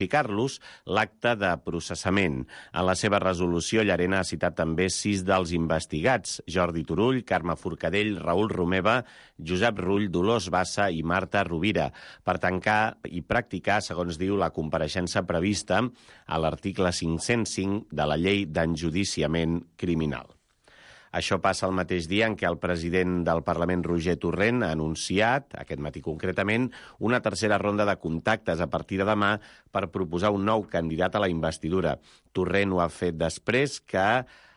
explicar-los l'acte de processament. En la seva resolució, Llarena ha citat també 6 dels investigats: Jordi Turull, Carme Forcadell, Raül Romeva, Josep Rull, Dolors Bassa i Marta Rovira, per tancar i practicar, segons diu, la compareixença prevista a l'article 505 de la Llei d'Enjudiciament Criminal. Això passa el mateix dia en què el president del Parlament, Roger Torrent, ha anunciat, aquest matí concretament, una tercera ronda de contactes a partir de demà per proposar un nou candidat a la investidura. Torrent ho ha fet després que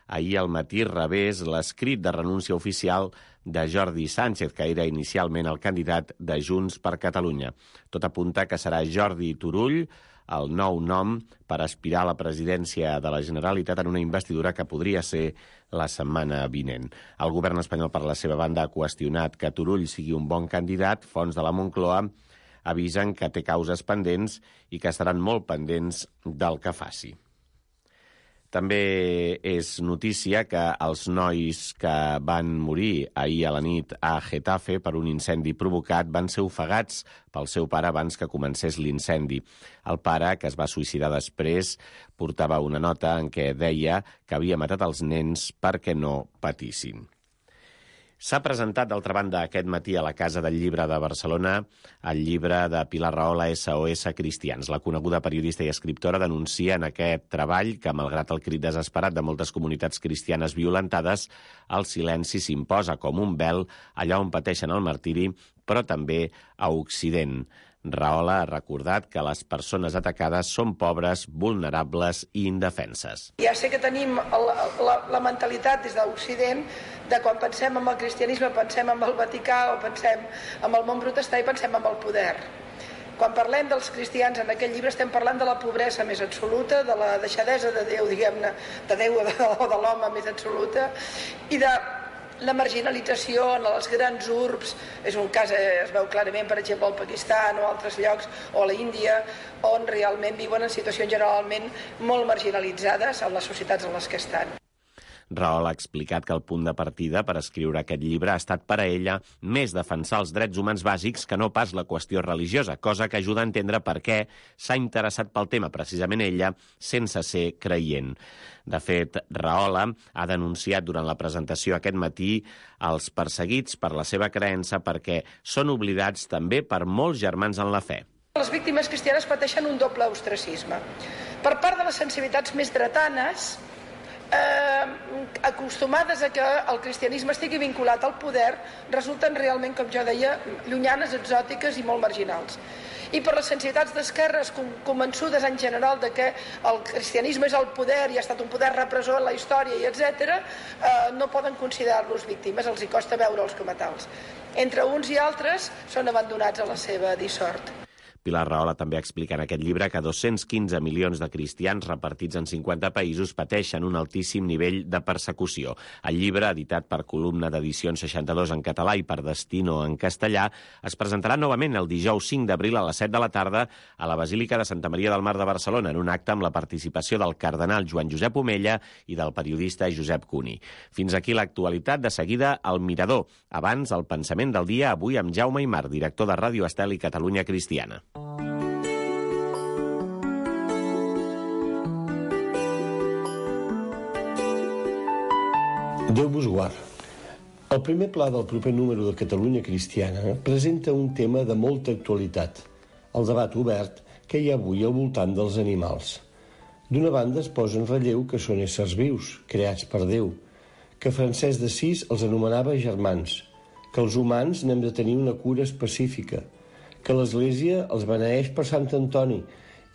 ahir al matí rebés l'escrit de renúncia oficial de Jordi Sánchez, que era inicialment el candidat de Junts per Catalunya. Tot apunta que serà Jordi Turull el nou nom per aspirar a la presidència de la Generalitat en una investidura que podria ser la setmana vinent. El govern espanyol, per la seva banda, ha qüestionat que Turull sigui un bon candidat. Fonts de la Moncloa avisen que té causes pendents i que estaran molt pendents del que faci. També és notícia que els nois que van morir ahir a la nit a Getafe per un incendi provocat van ser ofegats pel seu pare abans que comencés l'incendi. El pare, que es va suïcidar després, portava una nota en què deia que havia matat els nens perquè no patissin. S'ha presentat, d'altra banda, aquest matí a la Casa del Llibre de Barcelona el llibre de Pilar Rahola, SOS Cristians. La coneguda periodista i escriptora denuncia en aquest treball que, malgrat el crit desesperat de moltes comunitats cristianes violentades, el silenci s'imposa com un vel allà on pateixen el martiri, però també a Occident. Rahola ha recordat que les persones atacades són pobres, vulnerables i indefenses. Ja sé que tenim la mentalitat des d'Occident de quan pensem en el cristianisme pensem en el Vaticà o pensem en el món protestant i pensem en el poder. Quan parlem dels cristians en aquest llibre estem parlant de la pobresa més absoluta, de la deixadesa de Déu, diguem-ne, de Déu o de l'home més absoluta, i de la marginalització en les grans urbs. És un cas, es veu clarament, per exemple, al Pakistan o altres llocs, o a la Índia, on realment viuen en situacions generalment molt marginalitzades en les societats en les que estan. Rahola ha explicat que el punt de partida per escriure aquest llibre ha estat per a ella més defensar els drets humans bàsics que no pas la qüestió religiosa, cosa que ajuda a entendre per què s'ha interessat pel tema precisament ella, sense ser creient. De fet, Rahola ha denunciat durant la presentació aquest matí els perseguits per la seva creença perquè són oblidats també per molts germans en la fe. Les víctimes cristianes pateixen un doble ostracisme. Per part de les sensibilitats més dretanes, acostumades a que el cristianisme estigui vinculat al poder, resulten realment, com jo deia, llunyanes, exòtiques i molt marginals. I per les sensibilitats d'esquerres convençudes en general de que el cristianisme és el poder i ha estat un poder repressor en la història i etc., no poden considerar-los víctimes, els hi costa veure'ls com a tals. Entre uns i altres són abandonats a la seva dissort. Pilar Rahola també explica en aquest llibre que 215 milions de cristians repartits en 50 països pateixen un altíssim nivell de persecució. El llibre, editat per Columna d'Edicions 62 en català i per Destino en castellà, es presentarà novament el dijous 5 d'abril a les 7 de la tarda a la Basílica de Santa Maria del Mar de Barcelona, en un acte amb la participació del cardenal Joan Josep Omella i del periodista Josep Cuny. Fins aquí l'actualitat. De seguida, El Mirador. Abans, el pensament del dia, avui amb Jaume Aymar, director de Ràdio Estel i Catalunya Cristiana. Déu vos guard. El primer pla del proper número de Catalunya Cristiana presenta un tema de molta actualitat, el debat obert que hi ha avui al voltant dels animals. D'una banda es posa en relleu que són éssers vius, creats per Déu, que Francesc d'Assís els anomenava germans, que els humans n'hem de tenir una cura específica, que l'Església els beneeix per Sant Antoni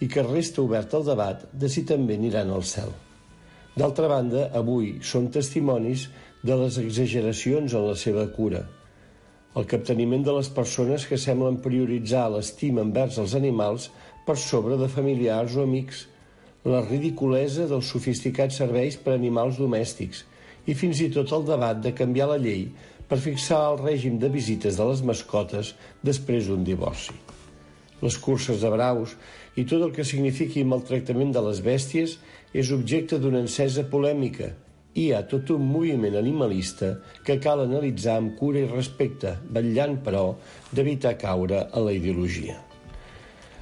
i que resta obert el debat de si també aniran al cel. D'altra banda, avui són testimonis de les exageracions en la seva cura, el capteniment de les persones que semblen prioritzar l'estima envers els animals per sobre de familiars o amics, la ridiculesa dels sofisticats serveis per a animals domèstics i fins i tot el debat de canviar la llei per fixar el règim de visites de les mascotes després d'un divorci. Les curses de braus i tot el que signifiqui maltractament de les bèsties és objecte d'una encesa polèmica i hi ha tot un moviment animalista que cal analitzar amb cura i respecte, vetllant, però, d'evitar caure en la ideologia.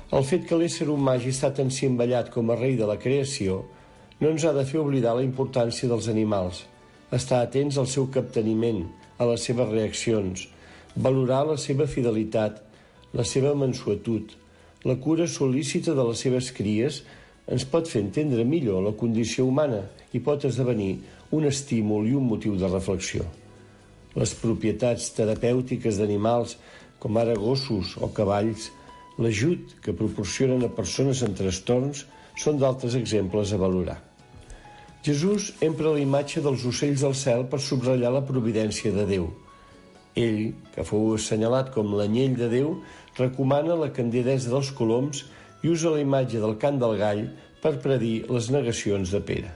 El fet que l'ésser humà hagi estat encimbellat com a rei de la creació no ens ha de fer oblidar la importància dels animals, estar atents al seu capteniment, a les seves reaccions, valorar la seva fidelitat, la seva mansuetud, la cura solícita de les seves cries ens pot fer entendre millor la condició humana i pot esdevenir un estímul i un motiu de reflexió. Les propietats terapèutiques d'animals, com ara gossos o cavalls, l'ajut que proporcionen a persones amb trastorns són d'altres exemples a valorar. Jesús empra la imatge dels ocells del cel per subratllar la providència de Déu. Ell, que fou assenyalat com l'anyell de Déu, recomana la candidesa dels coloms i usa la imatge del cant del gall per predir les negacions de Pere.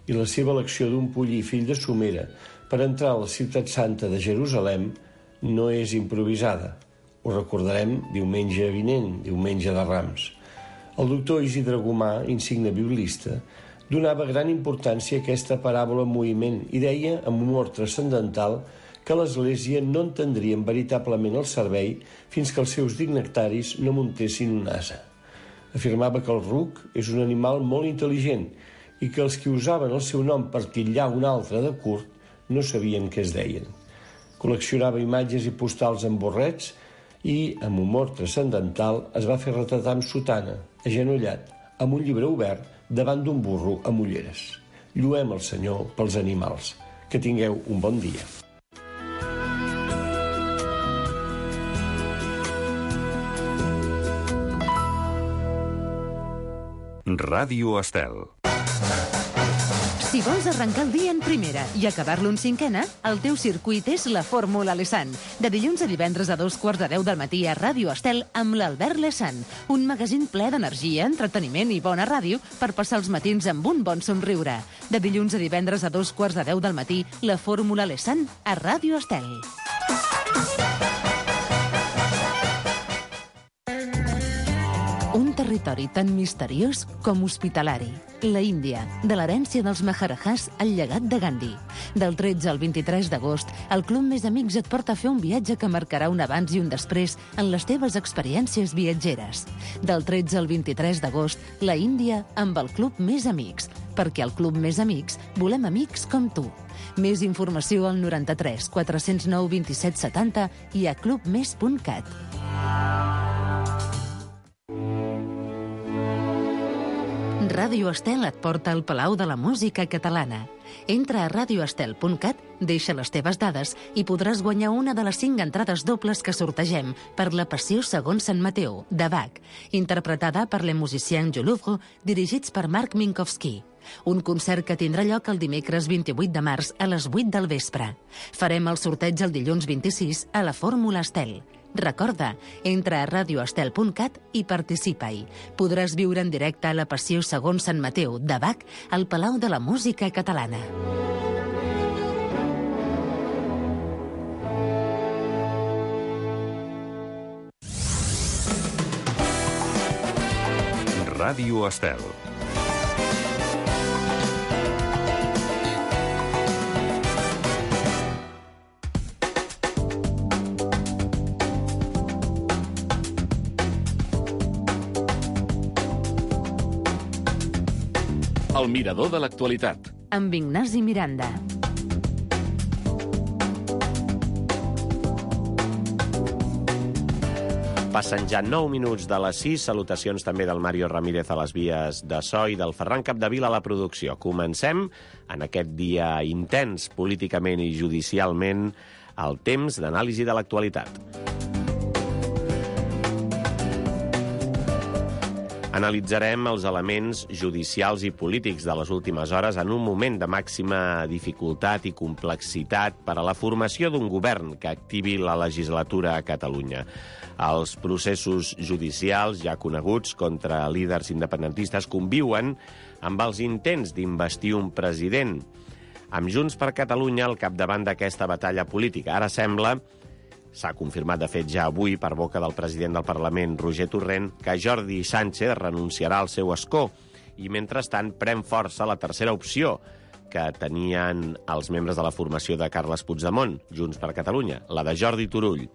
I la seva elecció d'un pollí fill de Somera per entrar a la ciutat santa de Jerusalem no és improvisada. Ho recordarem diumenge vinent, diumenge de Rams. El doctor Isidre Gomà, insigne biblista, donava gran importància a aquesta paràbola en moviment i deia, amb humor transcendental, que l'Església no entendrien veritablement el servei fins que els seus dignataris no muntessin un ase. Afirmava que el ruc és un animal molt intel·ligent i que els que usaven el seu nom per titllar un altre de curt no sabien què es deien. Col·leccionava imatges i postals amb borrets i, amb humor transcendental, es va fer retratar amb sotana, agenollat, amb un llibre obert, davant d'un burro amb ulleres. Lluem el Senyor pels animals. Que tingueu un bon dia. Ràdio Estel. Si vols arrencar el dia en primera i acabar-lo en cinquena, el teu circuit és la Fórmula Lesan. De dilluns a divendres a 2:15 del matí a Ràdio Estel amb l'Albert Lesan. Un magazín ple d'energia, entreteniment i bona ràdio per passar els matins amb un bon somriure. De dilluns a divendres a 2:15 del matí, la Fórmula Lesan a Ràdio Estel. Un territori tan misteriós com hospitalari. La Índia, de l'herència dels Maharajahs al llegat de Gandhi. Del 13 al 23 d'agost, el Club Més Amics et porta a fer un viatge que marcarà un abans i un després en les teves experiències viatgeres. Del 13 al 23 d'agost, la Índia amb el Club Més Amics. Perquè al Club Més Amics volem amics com tu. Més informació al 93 409 27 70 i a clubmes.cat. Ràdio Estel et porta al Palau de la Música Catalana. Entra a radioestel.cat, deixa les teves dades i podràs guanyar una de les 5 entrades dobles que sortegem per la Passió segons Sant Mateu, de Bach, interpretada per les musiciens du Louvre, dirigits per Marc Minkowski. Un concert que tindrà lloc el dimecres 28 de març a les 8 del vespre. Farem el sorteig el dilluns 26 a la Fórmula Estel. Recorda, entra a radioestel.cat i participa-hi. Podràs viure en directe a la Passió segons Sant Mateu, de Bach, al Palau de la Música Catalana. Ràdio Estel. El mirador de l'actualitat. Amb Ignasi Miranda. Passen ja 9 minuts de les 6. Salutacions també del Mario Ramírez a les vies de so i del Ferran Capdevila a la producció. Comencem en aquest dia intens políticament i judicialment el temps d'anàlisi de l'actualitat. Analitzarem els elements judicials i polítics de les últimes hores en un moment de màxima dificultat i complexitat per a la formació d'un govern que activi la legislatura a Catalunya. Els processos judicials ja coneguts contra líders independentistes conviuen amb els intents d'investir un president, amb Junts per Catalunya al capdavant d'aquesta batalla política. Ara sembla, s'ha confirmat de fet ja avui per boca del president del Parlament, Roger Torrent, que Jordi Sánchez renunciarà al seu escó i, mentrestant, pren força la tercera opció que tenien els membres de la formació de Carles Puigdemont, Junts per Catalunya, la de Jordi Turull.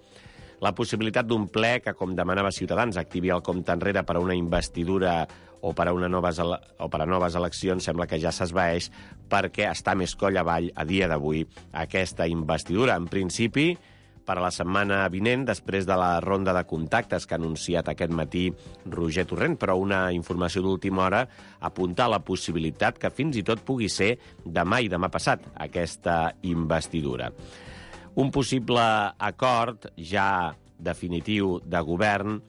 La possibilitat d'un ple que, com demanava Ciutadans, activi el compte enrere per a una investidura o per a noves eleccions sembla que ja s'esvaeix perquè està més coll avall a dia d'avui aquesta investidura. En principi, per a la setmana vinent, després de la ronda de contactes que ha anunciat aquest matí Roger Torrent, però una informació d'última hora apunta a la possibilitat que fins i tot pugui ser demà i demà passat aquesta investidura. Un possible acord ja definitiu de govern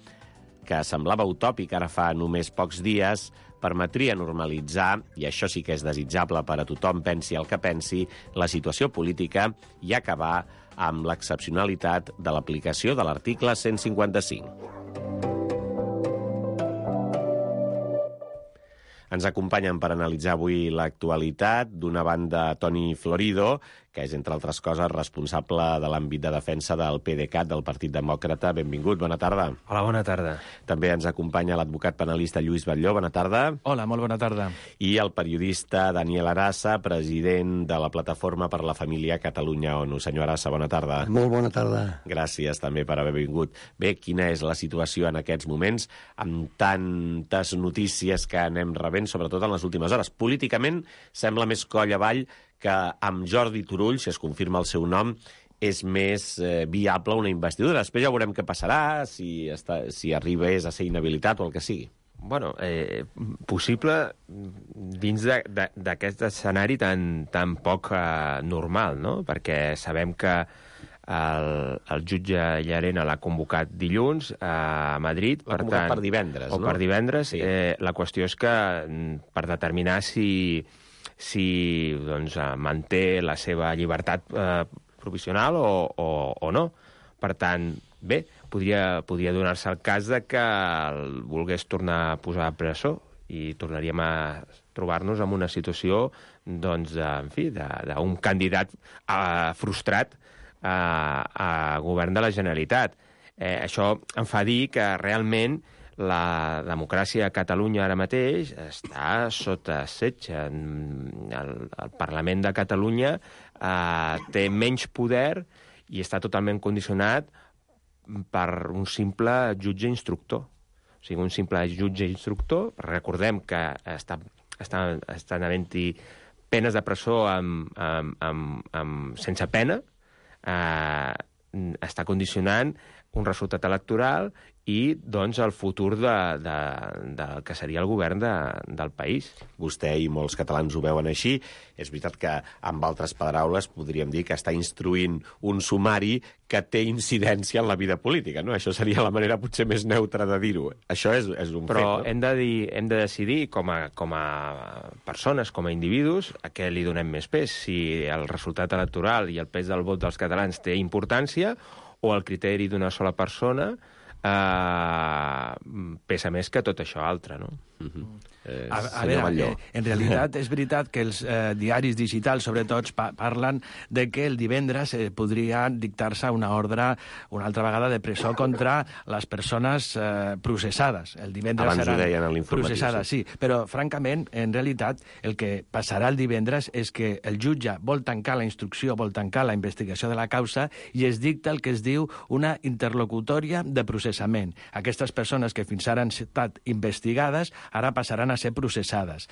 que semblava utòpic ara fa només pocs dies, permetria normalitzar, i això sí que és desitjable per a tothom, pensi el que pensi, la situació política i acabar amb l'excepcionalitat de l'aplicació de l'article 155. Ens acompanyen per analitzar avui l'actualitat. D'una banda, Toni Florido, que és, entre altres coses, responsable de l'àmbit de defensa del PDeCAT, del Partit Demòcrata. Benvingut, bona tarda. Hola, bona tarda. També ens acompanya l'advocat penalista Lluís Batlló. Bona tarda. Hola, molt bona tarda. I el periodista Daniel Arassa, president de la Plataforma per la Família Catalunya-ONU. Senyor Arassa, bona tarda. Molt bona tarda. Gràcies també per haver vingut. Bé, quina és la situació en aquests moments, amb tantes notícies que anem rebent, sobretot en les últimes hores? Políticament sembla més coll avall que amb Jordi Turull, si es confirma el seu nom, és més viable una investidura. Després ja veurem què passarà, si arribés a ser inhabilitat o el que sigui. Bueno, possible dins d'aquest escenari tan poc normal, no? Perquè sabem que el jutge Llarena l'ha convocat dilluns a Madrid. L'ha convocat per divendres, no? O per divendres. Sí. La qüestió és que per determinar si doncs, manté la seva llibertat provisional o no. Per tant, bé, podria donar-se el cas de que el volgués tornar a posar a presó i tornaríem a trobar-nos en una situació doncs, en fi, d'un candidat frustrat a govern de la Generalitat. Això em fa dir que realment la democràcia a Catalunya ara mateix està sota setge. El Parlament de Catalunya té menys poder i està totalment condicionat per un simple jutge instructor. O sigui, un simple jutge instructor, recordem que estan havent-hi penes de presó sense pena, està condicionant un resultat electoral i, doncs, el futur del que seria el govern del país. Vostè i molts catalans ho veuen així. És veritat que, amb altres paraules, podríem dir que està instruint un sumari que té incidència en la vida política, no? Això seria la manera potser més neutra de dir-ho. Això és un fet, no? Però hem de decidir, com a persones, com a individus, a què li donem més pes. Si el resultat electoral i el pes del vot dels catalans té importància o el criteri d'una sola persona pesa més que tot això altre, no? A veure, en realitat és veritat que els diaris digitals, sobretot, parlen de que el divendres podria dictar-se una ordre una altra vegada de presó contra les persones processades. El divendres abans seran ho deien en l'informatiu, processades, sí. Però, francament, en realitat, el que passarà el divendres és que el jutge vol tancar la instrucció, vol tancar la investigació de la causa i es dicta el que es diu una interlocutòria de processament. Aquestes persones que fins ara han estat investigades ara passaran a ser processades.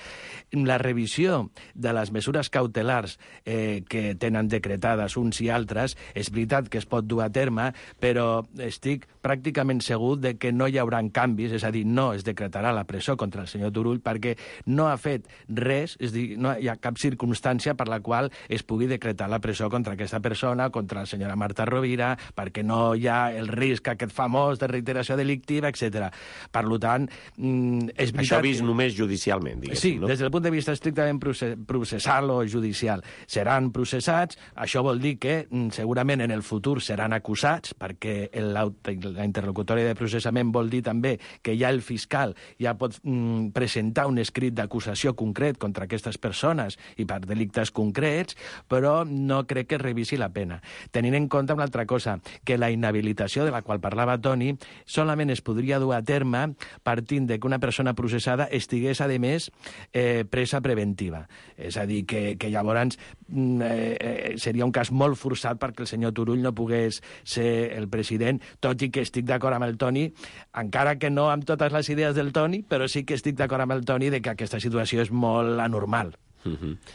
La revisió de les mesures cautelars que tenen decretades uns i altres, és veritat que es pot dur a terme, però estic pràcticament segur de que no hi haurà canvis, és a dir, no es decretarà la presó contra el senyor Turull perquè no ha fet res, és a dir, no hi ha cap circumstància per la qual es pugui decretar la presó contra aquesta persona, contra la senyora Marta Rovira, perquè no hi ha el risc aquest famós de reiteració delictiva, etc. Per tant, és veritat... Això vist només judicialment, diguéssim, sí, no? des del punt de vista estrictament processal o judicial. Seran processats, això vol dir que segurament en el futur seran acusats, perquè la interlocutòria de processament vol dir també que ja el fiscal ja pot presentar un escrit d'acusació concret contra aquestes persones i per delictes concrets, però no crec que revisi la pena. Tenint en compte una altra cosa, que la inhabilitació de la qual parlava Toni solament es podria dur a terme partint de que una persona processada estigui tingués, a més, presa preventiva. És a dir, que llavors seria un cas molt forçat perquè el senyor Turull no pogués ser el president, tot i que estic d'acord amb el Toni, encara que no amb totes les idees del Toni, però sí que estic d'acord amb el Toni de que aquesta situació és molt anormal.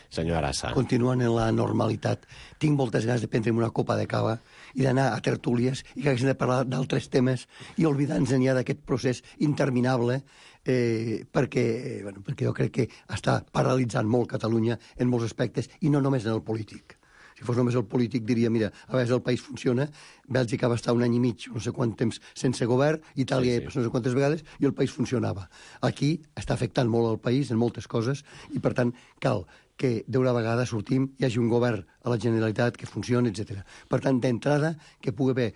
Senyor Arassa. Continuant en la normalitat, tinc moltes ganes de prendre'm una copa de cava i d'anar a tertúlies i que haguéssim de parlar d'altres temes i oblidar-nos ja d'aquest procés interminable perquè jo crec que està paralitzant molt Catalunya en molts aspectes i no només en el polític. Si fos només el polític diria, mira, a vegades el país funciona, Bèlgica va estar un any i mig, no sé quant temps sense govern, Itàlia no sé quantes vegades, i el país funcionava. Aquí està afectant molt el país en moltes coses i, per tant, cal que d'una vegada sortim, hi hagi un govern a la Generalitat que funcioni, etc. Per tant, d'entrada, que pugui haver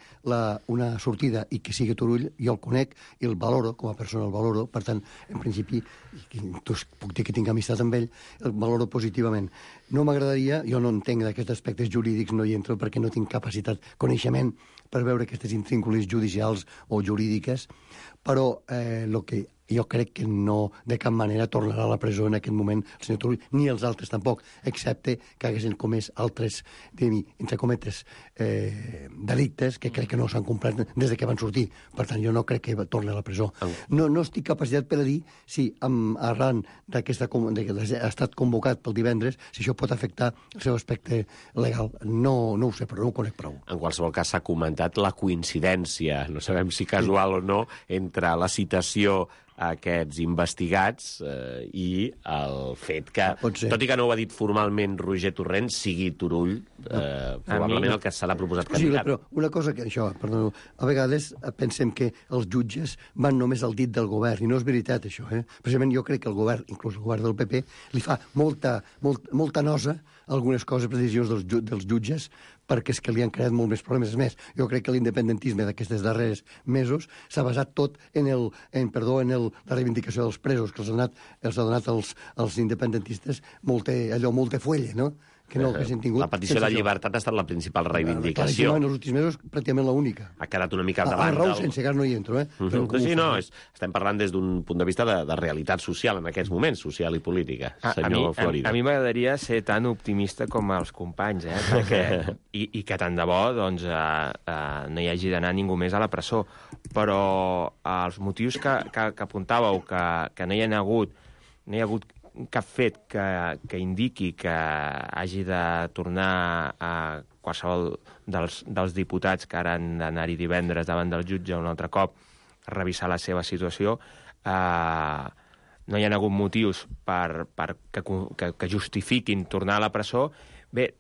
una sortida i que sigui Turull, jo el conec i el valoro, com a persona el valoro, per tant, en principi, puc dir que tinc amistat amb ell, el valoro positivament. No m'agradaria, jo no entenc d'aquests aspectes jurídics, no hi entro perquè no tinc capacitat, coneixement per veure aquestes intríncules judicials o jurídiques, però el que jo crec que no de cap manera tornarà a la presó en aquest moment el senyor Turull, ni els altres tampoc, excepte que haguessin comès altres, entre cometes, delictes que crec que no s'han complert des de que van sortir. Per tant, jo no crec que torni a la presó. No estic capacitat per a dir si arran que ha estat convocat pel divendres, si això pot afectar el seu aspecte legal. No ho sé, però no ho conec prou. En qualsevol cas s'ha comentat la coincidència, no sabem si casual o no, entre la citació a aquests investigats i el fet que, tot i que no ho ha dit formalment Roger Torrent, sigui Turull, probablement el que serà proposat candidat. Però una cosa que això, perdó, a vegades pensem que els jutges van només al dit del govern, i no és veritat això, Precisament jo crec que el govern, inclús el govern del PP, li fa molta nosa algunes coses, decisions dels jutges, perquè és que li han creat molt més problemes. És més, jo crec que l'independentisme d'aquestes darreres mesos s'ha basat tot en la reivindicació dels presos, que els ha donat als independentistes molta fuelle, no? Que no que s'han tingut. La petició de llibertat ha estat la principal reivindicació. En els últims mesos, pràcticament l'única. Ha quedat una mica davant. A Raúl sense gas no hi entro, Sí, no, estem parlant des d'un punt de vista de realitat social en aquests moments, social i política, senyor Florida. A mi m'agradaria ser tan optimista com els companys, i que tant de bo doncs, no hi hagi d'anar ningú més a la presó. Però els motius que apuntàveu, que no hi ha hagut cap fet que indiqui que hagi de tornar a qualsevol dels diputats que ara han d'anar-hi divendres davant del jutge un altre cop a revisar la seva situació, no hi ha hagut motius que justifiquin tornar a la presó. Bé,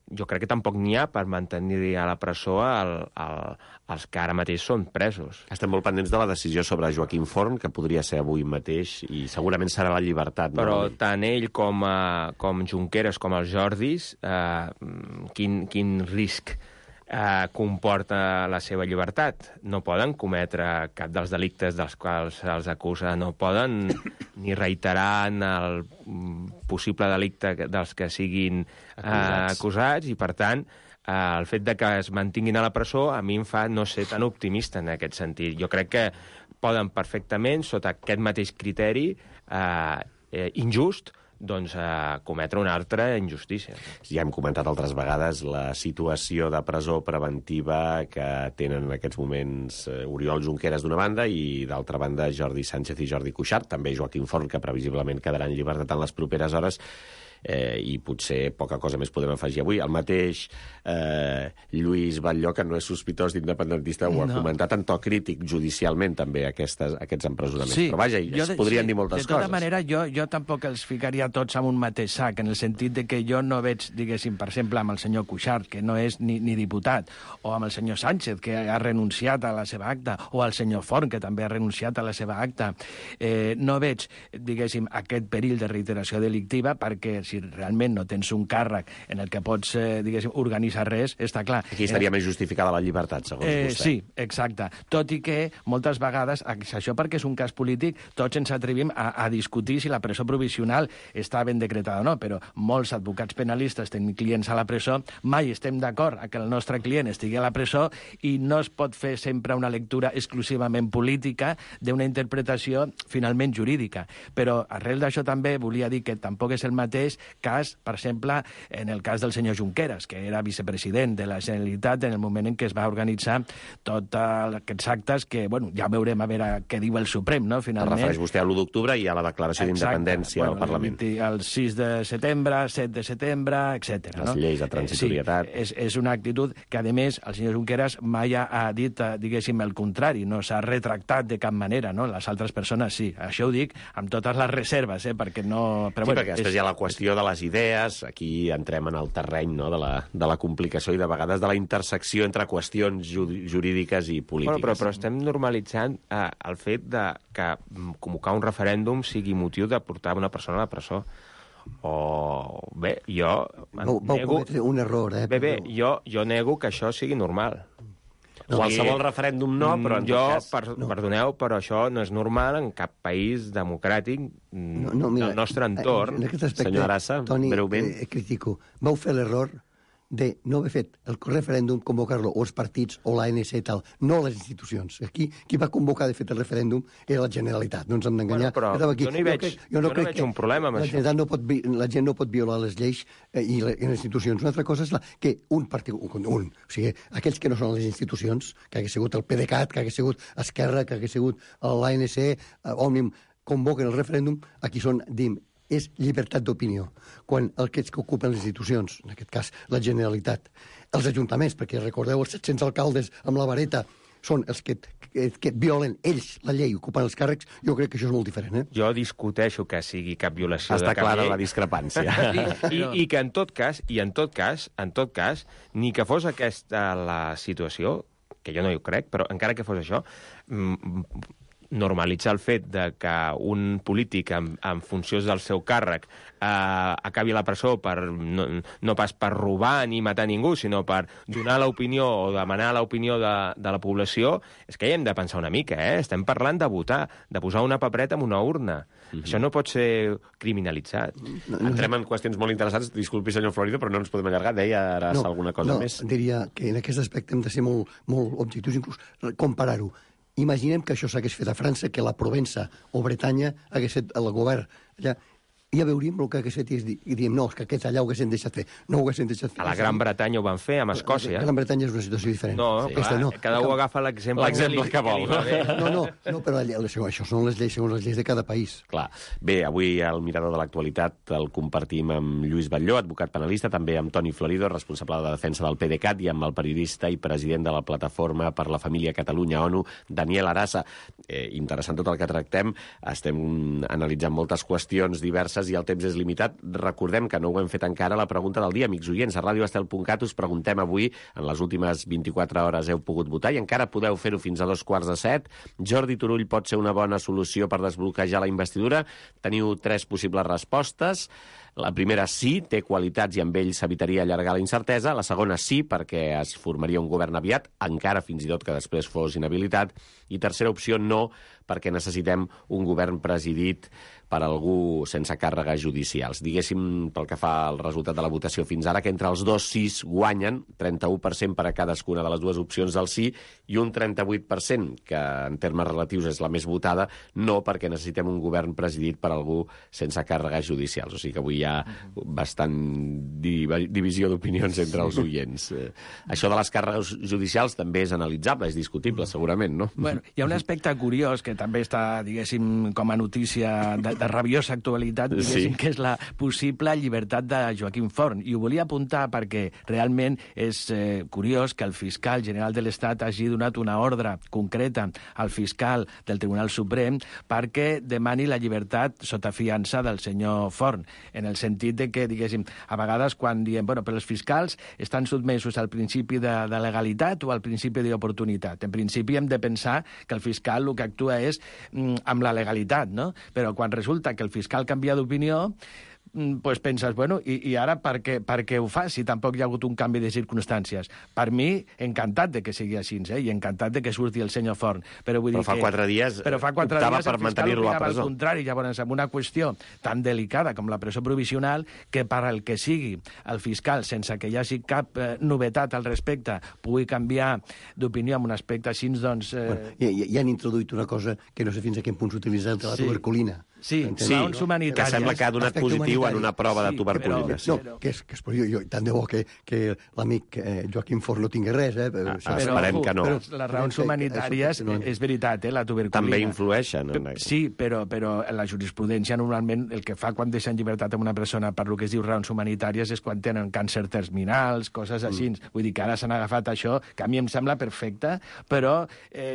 jo crec que tampoc n'hi ha per mantenir a la presó els que ara mateix són presos. Estem molt pendents de la decisió sobre Joaquim Forn, que podria ser avui mateix, i segurament serà la llibertat. Però tant ell com Junqueras com els Jordis, quin risc comporta la seva llibertat? No poden cometre cap dels delictes dels quals se'ls acusa, no poden ni reiterar en el possible delicte dels que siguin acusats, i per tant el fet de que es mantinguin a la presó a mi em fa no ser tan optimista en aquest sentit. Jo crec que poden perfectament, sota aquest mateix criteri injust, doncs cometre una altra injustícia. Ja hem comentat altres vegades la situació de presó preventiva que tenen en aquests moments Oriol Junqueras d'una banda i d'altra banda Jordi Sánchez i Jordi Cuixart, també Joaquim Forn, que previsiblement quedarà en llibertat en les properes hores, i potser poca cosa més podem afegir avui. El mateix Lluís Batlló, que no és sospitós d'independentista, ho ha comentat en to crític judicialment també aquests empresonaments. Sí, però vaja, es podrien dir moltes coses. De tota manera, jo tampoc els ficaria tots en un mateix sac, en el sentit de que jo no veig, diguéssim, per exemple, amb el senyor Cuixart, que no és ni diputat, o amb el senyor Sánchez, que ha renunciat a la seva acta, o al senyor Forn, que també ha renunciat a la seva acta. No veig, diguéssim, aquest perill de reiteració delictiva, perquè si realment no tens un càrrec en el que pots, diguéssim, organitzar res, està clar. Aquí estaria més justificada la llibertat, segons vostè. Sí, exacte. Tot i que moltes vegades, això perquè és un cas polític, tots ens atrevim a discutir si la presó provisional està ben decretada o no, però molts advocats penalistes tenen clients a la presó, mai estem d'acord que el nostre client estigui a la presó i no es pot fer sempre una lectura exclusivament política d'una interpretació finalment jurídica. Però arrel d'això també volia dir que tampoc és el mateix cas, per exemple, en el cas del senyor Junqueras, que era vicepresident de la Generalitat en el moment en què es va organitzar tots aquests actes que, bueno, ja veurem a veure què diu el Suprem, no?, finalment. Es refereix vostè a l'1 d'octubre i a la declaració d'independència al Parlament. El 6 de setembre, 7 de setembre, etc. Les lleis de transitorietat. Sí, és una actitud que, a més, el senyor Junqueras mai ha dit, diguéssim, el contrari, no s'ha retractat de cap manera, no? Les altres persones sí. Això ho dic amb totes les reserves, perquè no... Però, sí, perquè després hi ha la qüestió de les idees, aquí entrem en el terreny, no?, de la complicació i de vegades de la intersecció entre qüestions jurídiques i polítiques. Bueno, però estem normalitzant el fet de que convocar un referèndum sigui motiu de portar una persona a la presó. O bé, jo vau cometre un error, Bé, jo nego que això sigui normal. Qualsevol referèndum no, però en tot cas... Perdoneu, però això no és normal en cap país democràtic del nostre entorn. En aquest aspecte, senyor Arassa, Toni, breument. Critico. Vau fer l'error de no haver fet el referèndum, convocar-lo o els partits o l'ANC i tal, no les institucions. Aquí, qui va convocar, de fet, el referèndum era la Generalitat, no ens hem d'enganyar. Bueno, però jo no hi veig un problema amb això. La gent no pot violar les lleis i les institucions. Una altra cosa és que o sigui, aquells que no són les institucions, que hagués sigut el PDeCAT, que hagués sigut Esquerra, que hagués sigut l'ANC, Òmnium, convoquen el referèndum, aquí són, és llibertat d'opinió. Quan aquests que ocupen les institucions, en aquest cas la Generalitat, els ajuntaments, perquè recordeu els 700 alcaldes amb la vareta, són els que violen ells la llei, ocupen els càrrecs, jo crec que això és molt diferent. Jo discuteixo que sigui cap violació de cap llei. Està clara la discrepància. I que en tot cas, ni que fos aquesta la situació, que jo no ho crec, però encara que fos això, normalitzar el fet de que un polític en funció del seu càrrec acabi a la presó no pas per robar ni matar ningú, sinó per donar l'opinió o demanar l'opinió de la població, és que hi hem de pensar una mica, Estem parlant de votar, de posar una papereta en una urna. Això no pot ser criminalitzat. Entrem en qüestions molt interessants. Disculpi, senyor Florido, però no ens podem allargar. Deia ara alguna cosa més. No, diria que en aquest aspecte hem de ser molt objectius, inclús comparar-ho. Imaginem que això s'hagués fet a França, que la Provença o Bretanya hagués fet el govern allà. Ja veuríem el que hagués fet i diem, no, és que aquests allà ho haguessin deixat fer. No ho haguessin deixat fer. A la Gran Bretanya ho van fer, amb Escòcia. La Gran Bretanya és una situació diferent. No, clar, cada un agafa l'exemple que vol. No, però això són les lleis, segons les lleis de cada país. Clar. Bé, avui el Mirador de l'Actualitat el compartim amb Lluís Batlló, advocat penalista, també amb Toni Florido, responsable de defensa del PDeCAT, i amb el periodista i president de la Plataforma per la Família Catalunya ONU, Daniel Arassa. Interessant tot el que tractem. Estem analitzant moltes qüestions diverses i el temps és limitat. Recordem que no ho hem fet encara, la pregunta del dia. Amics oients, a radioestel.cat us preguntem avui, en les últimes 24 hores heu pogut votar i encara podeu fer-ho fins a 2:45. Jordi Turull pot ser una bona solució per desbloquejar la investidura? Teniu 3 possibles respostes. La primera, sí, té qualitats i amb ell s'evitaria allargar la incertesa. La segona, sí, perquè es formaria un govern aviat, encara fins i tot que després fos inhabilitat. I tercera opció, no, perquè necessitem un govern presidit per algú sense càrregues judicials. Diguéssim, pel que fa al resultat de la votació fins ara, que entre els dos sís guanyen, 31% per a cadascuna de les dues opcions del sí, i un 38%, que en termes relatius és la més votada, no, perquè necessitem un govern presidit per algú sense càrregues judicials. O sigui que avui hi ha bastant divisió d'opinions entre els oients. Això de les càrregues judicials també és analitzable, és discutible, segurament, no? Bueno, hi ha un aspecte curiós que també està, diguéssim, com a notícia de rabiosa actualitat, diguéssim, que és la possible llibertat de Joaquim Forn. I ho volia apuntar perquè realment és curiós que el fiscal general de l'Estat hagi donat una ordre concreta al fiscal del Tribunal Suprem perquè demani la llibertat sota fiança del senyor Forn, en el sentit de que, diguéssim, a vegades quan diem, bueno, però els fiscals estan sotmesos al principi de legalitat o al principi d'oportunitat. En principi hem de pensar que el fiscal el que actua és amb la legalitat, no? Però quan resulta que el fiscal canvia d'opinió, pues penses, bueno, i ara per què ho fa si tampoc hi ha hagut un canvi de circumstàncies? Per mi, encantat de que sigui així, i encantat de que surti el senyor Forn. Però fa 4 dies optava per mantenir-lo a presó. Al contrari, llavors, amb una qüestió tan delicada com la presó provisional, que per al que sigui el fiscal, sense que hi hagi cap novetat al respecte, pugui canviar d'opinió en un aspecte així, doncs... I han introduït una cosa que no sé fins a quin punt s'utilitza, el de la tuberculina. Sí, raons humanitàries. Que sembla que ha donat positiu en una prova de tuberculina. No, que és jo, tant de bo que l'amic Joaquim Forn no tingui res, esperem que no. Però les raons humanitàries, és veritat, la tuberculina... També influeixen. Sí, però la jurisprudència normalment el que fa quan deixa en llibertat una persona per lo que es diu raons humanitàries és quan tenen càncer terminals, coses així. Vull dir que ara s'han agafat això, que a mi em sembla perfecte, però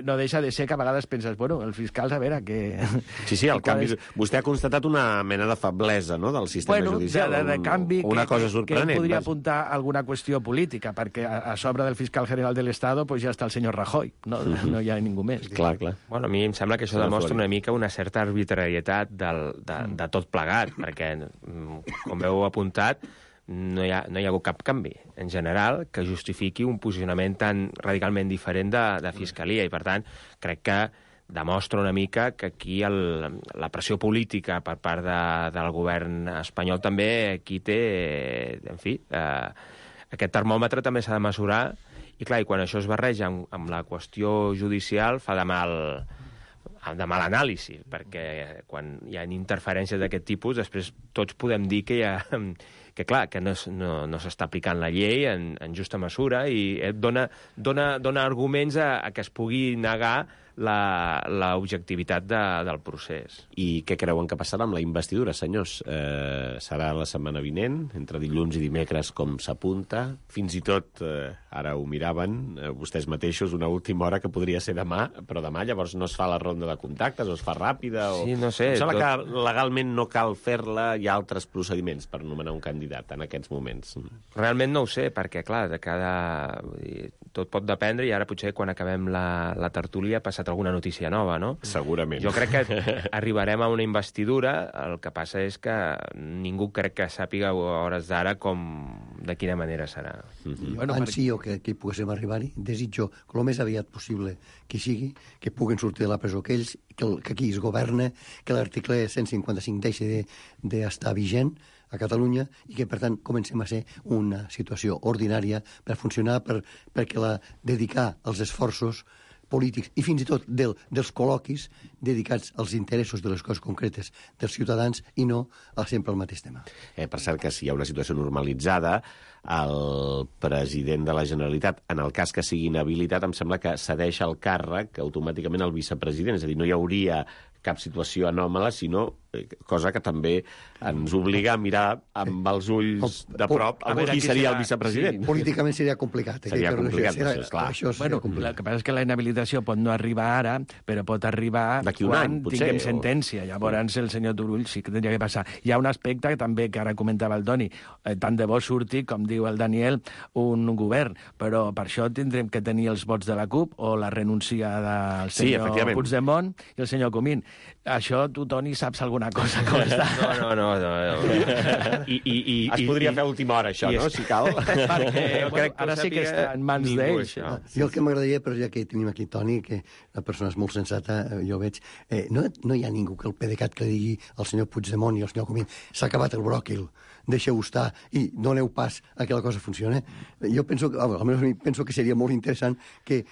no deixa de ser que a vegades penses, bueno, el fiscal, a veure, que... Sí, el canvi... Vostè ha constatat una mena de feblesa, no?, del sistema judicial. De canvi, una cosa sorprenent. Que podria apuntar alguna qüestió política, perquè a sobre del fiscal general de l'Estado pues ja està el senyor Rajoy, no hi ha ningú més. Clar. Bueno, a mi em sembla que això demostra una mica una certa arbitrarietat de tot plegat, perquè, com heu apuntat, no hi ha hagut cap canvi, en general, que justifiqui un posicionament tan radicalment diferent de Fiscalia, i, per tant, crec que demostra una mica que aquí la pressió política per part del govern espanyol també aquí té, en fi, aquest termòmetre també s'ha de mesurar, i clar, i quan això es barreja amb la qüestió judicial fa de mal anàlisi, perquè quan hi ha interferències d'aquest tipus, després tots podem dir que que no s'està aplicant la llei en justa mesura, i dona arguments a que es pugui negar l'objectivitat del procés. I què creuen que passarà amb la investidura, senyors? Serà la setmana vinent, entre dilluns i dimecres, com s'apunta? Fins i tot, ara ho miraven, vostès mateixos, una última hora que podria ser demà, però demà llavors no es fa la ronda de contactes, o es fa ràpida, o... Sí, no sé. Em sembla que legalment no cal fer-la, hi ha altres procediments per nomenar un candidat en aquests moments. Realment no ho sé, perquè, clar, tot pot dependre, i ara potser quan acabem la tertúlia ha passat alguna notícia nova, no? Segurament. Jo crec que arribarem a una investidura, el que passa és que ningú crec que sàpiga a hores d'ara de quina manera serà. Jo que poguéssim arribar-hi, desitjo que el més aviat possible que sigui, que puguen sortir de la presó aquells, que aquí es governa, que l'article 155 deixi d'estar vigent a Catalunya, i que, per tant, comencem a ser una situació ordinària per funcionar, perquè dedicar els esforços polítics i fins i tot dels col·loquis dedicats als interessos de les coses concretes dels ciutadans i no sempre al mateix tema. Per cert, que si hi ha una situació normalitzada, el president de la Generalitat, en el cas que sigui inhabilitat, em sembla que cedeix el càrrec automàticament al vicepresident, és a dir, no hi hauria cap situació anòmala, sinó cosa que també ens obliga a mirar amb els ulls de prop qui seria el vicepresident. Sí, políticament seria complicat. Seria complicat, clar. El que passa és que la inhabilitació pot no arribar ara, però pot arribar quan tinguem sentència. Llavors el senyor Turull sí que tindria que passar. Hi ha un aspecte que també, que ara comentava el Toni, tant de bo surti, com diu el Daniel, un govern, però per això tindrem que tenir els vots de la CUP o la renúncia del senyor Puigdemont i el senyor Comín. Això tu, Toni, saps alguna cosa com està? No. Es podria fer a última hora, això, no?, si cal. Perquè ara sí que està en mans d'ells. Jo el que m'agradaria, però ja que tenim aquí Toni, que la persona és molt sensata, jo veig, no hi ha ningú que el PDeCAT que digui al senyor Puigdemont i al senyor Comín s'ha acabat el bròquil, deixeu-ho estar i doneu pas a que la cosa funcioni. Jo penso que seria molt interessant que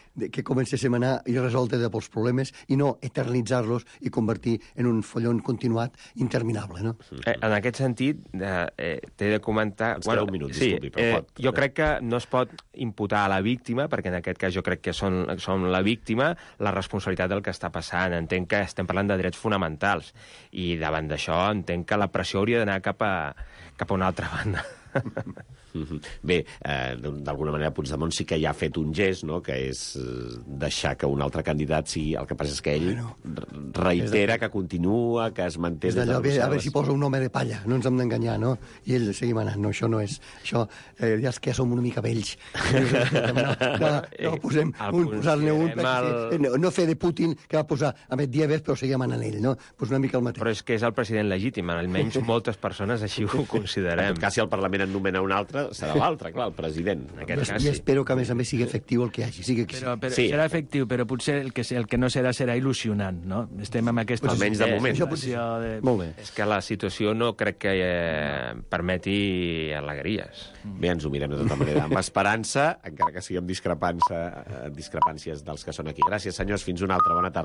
comencéssim a anar i resoldre els problemes i no eternitzar-los i convertir en un follon continuat interminable, no? En aquest sentit, t'he de comentar... Ens queda un minut, disculpi, però pot. Jo crec que no es pot imputar a la víctima, perquè en aquest cas jo crec que som la víctima, la responsabilitat del que està passant. Entenc que estem parlant de drets fonamentals i davant d'això entenc que la pressió hauria d'anar cap a una altra banda. Bé, d'alguna manera Puigdemont sí que ja ha fet un gest, no?, que és deixar que un altre candidat sigui... El que passa és que ell reitera que continua, que es manté... És d'allò, a veure si posa un home de palla, no ens hem d'enganyar, no? I ell seguim anant, no, això no és... Això, ja és que som una mica vells. No posar-ne un... No fer de Putin, que va posar a Medvedev, però seguim anant ell, no? Pues una mica el mateix. Però és que és el president legítim, almenys moltes persones així ho considerem. En tot cas, si el Parlament en nomena un altre, serà l'altre, clar, el president. I espero que, a més sigui efectiu el que hi hagi. Sí. Serà efectiu, però potser el que no serà il·lusionant, no? Estem amb aquesta... Almenys de moment. Molt bé. És que la situació no crec que permeti alegries. Bé, ens ho mirem de tota manera. Amb esperança, encara que siguem discrepàncies dels que són aquí. Gràcies, senyors. Fins una altra. Bona tarda.